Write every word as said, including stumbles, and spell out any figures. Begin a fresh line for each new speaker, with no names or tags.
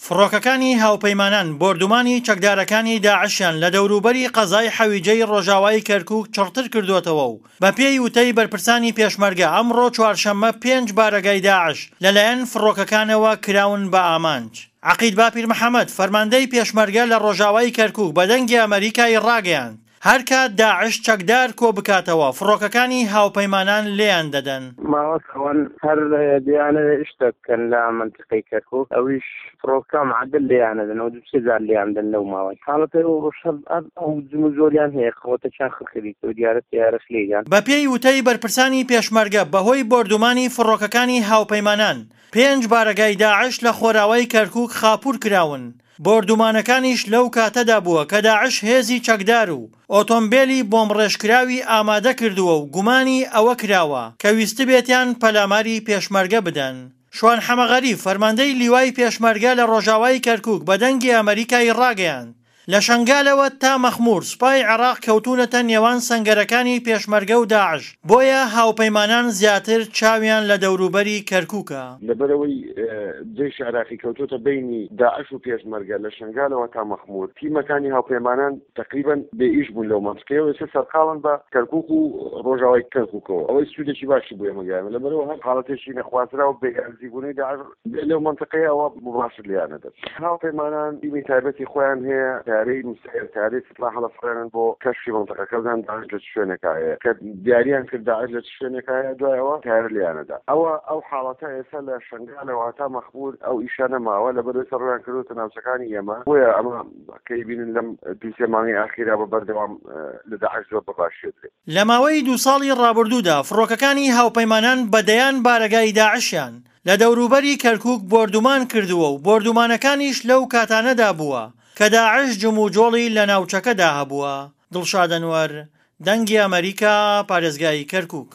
فڕۆکەکانی هاوپەیمانان بۆردومانی چەکدارەکانی داعشیان لە دەوروبەری قەزای حەویجەی ڕۆژاوای کەرکوک چڕتر کردووەتەوە و بەپێی وتەی بەرپرسانی پێشمەرگە ئەمڕۆ چوارشەممە پێنج بارەگای داعش لەلایەن فڕۆکەکانەوە کراون بە ئامانج. عەقید باپیر محەمەد، فەرماندەی پێشمەرگە لە ڕۆژاوای کەرکوک بە دەنگی ئەمەریکای ڕاگەیاند، هەرکات داعش چەکدار کۆبکاتەوە فڕۆکەکانی هاوپەیمانان لێیان دەدەن.
ماوە ئەوان هەر دیانەوێ شتە بکەن لە مەنتیقەی کەرکوک، ئەویش فڕۆکە معدل لێیان دەن و دوو سێ جار لێیان دەن لەو ماوەی حاڵەتە ئەو جموجۆڵیان هەیە قەوەتەکیان خڕکردیتەوە دیارە تەیارەش لێیان.
بەپێی وتەی بەرپرسانی پێشمەرگە بەهۆی بۆردومانی فڕۆکەکانی هاوپەیمانان پێنج بارەگای داعش لە خۆراوای کەرکوک خاپوور کراون، بۆردومانەکانیش لەو کاتەدا بووە کە داعش هێزی چەکدار و ئۆتۆمبێلی بۆمبڕێژکراوی ئامادە کردووە و گومانی ئەوە کراوە کە ویستبێتیان پەلاماری پێشمەرگە بدەن. شوان حەمەغەریب، فەرماندەی لیوای پێشمەرگە لە ڕۆژاوای کەرکوک بە دەنگی ئەمەریکای ڕاگەیاند، لە شەنگالەوە تا مەخمور سوپای عێراق کەوتوونەتە نێوان سەنگەرەکانی پێشمەرگە و داعش، بۆیە هاوپەیمانان زیاتر چاویان لە دەوروبەری کەرکوکە.
لەبەرئەوەی جەیشی عێراقی کەوتۆتە بەینی داعش و پێشمەرگە لە شەنگالەوە تا مەخمور، تیمەکانی هاوپەیمانان تەقریبەن بێ ئیش بوون لەو مەنتقەیەوە، ئێستا سەرقاڵن بە کەرکوک و ڕۆژاوای کەرکوکەوە، ئەوەی سوودێکی باشی بۆ ئێمە گەیاند، لەبەرئەوە هەر حاڵەتێکی نەخوازراو بێ نزیکبوونەوەی داعش لەو مەنتقەیە ئەوە موباشر لێیان ئەدەن. هاوپەیمانان تیمی تایبەتی خۆیان هەیە، تەیارەی مسەیەر، تەیارەی سپا هەڵەفڕێنن بۆ کەشفی مەنتقەکە بزانن داعش لە چ شوێنێکا هەیە، کە دیاریان کرد داعش لە چ شوێنێکا هەیە دوای ئەوە تەیارە لێیان ئەدا. ئەوە ئەو حاڵەتە ئێستا لە شەنگالەوە هەتا مەخمور ئەو ئیشە نەماوە، لەبەرئەوەی ئێستا ڕوویان کردووەتە ناوچەکانی ئێمە، بۆیە ئەمە کە ئەیبینن لەم دوو سێ مانگەی ئاخیرا بە بەردەوام لە داعش زۆر بە باشی ئەدرێ.
لە ماوەی دوو ساڵی ڕابردوودا فڕۆکەکانی هاوپەیمانان بە دەیان بارەگای داعشیان لە دەوروبەری کەرکوک بۆردومان کردووە و بۆردومانەکانیش لەو کاتانەدا بووە کە داعش جموجۆڵی لە ناوچەکەدا هەبووە. دڵشاد ئەنوەر، دەنگی ئەمەریکا، پارێزگای کەرکوک.